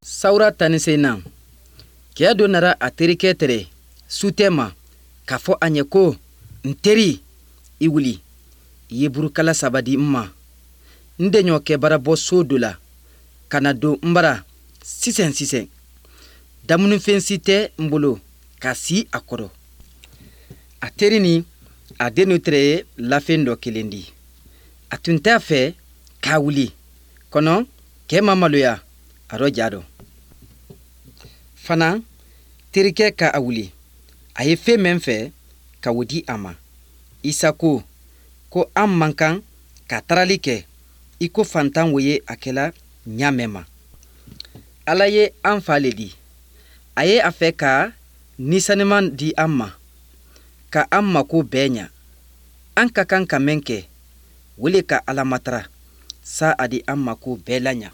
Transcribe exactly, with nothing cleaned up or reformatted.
Sawura tan ni seginnan, cɛ dɔ nana a terikɛ tɛrɛ sutɛ ma k'a fɔ a ɲɛ ko: "N teri, i wuli, i ye burukala saba di n ma, n deɲɔkɛ bara bɔ so dɔ la ka na don n bara sisan sisan. Damunifɛn si tɛ n bolo ka si a kɔrɔ." A teri ni a dennu tɛrɛ ye lafɛn dɔ kelen di. A tun t'a fɛ k'a wuli, kɔnɔ cɛ ma maloya a rɔ ja dɔ. Fana terikɛ ka a wuli, a ye fɛn min fɛ ka o di a ma. Isa ko ko an man kan ka tarali kɛ i ko fantan wo ye a kɛla ɲa mɛn ma. Ala ye an fa le di. A ye a fɛ ka nisanima di an ma, ka an mako bɛɛ ɲa. An ka kan ka mɛn kɛ, o le ka Ala matara sa a di an mako bɛɛ la ɲa.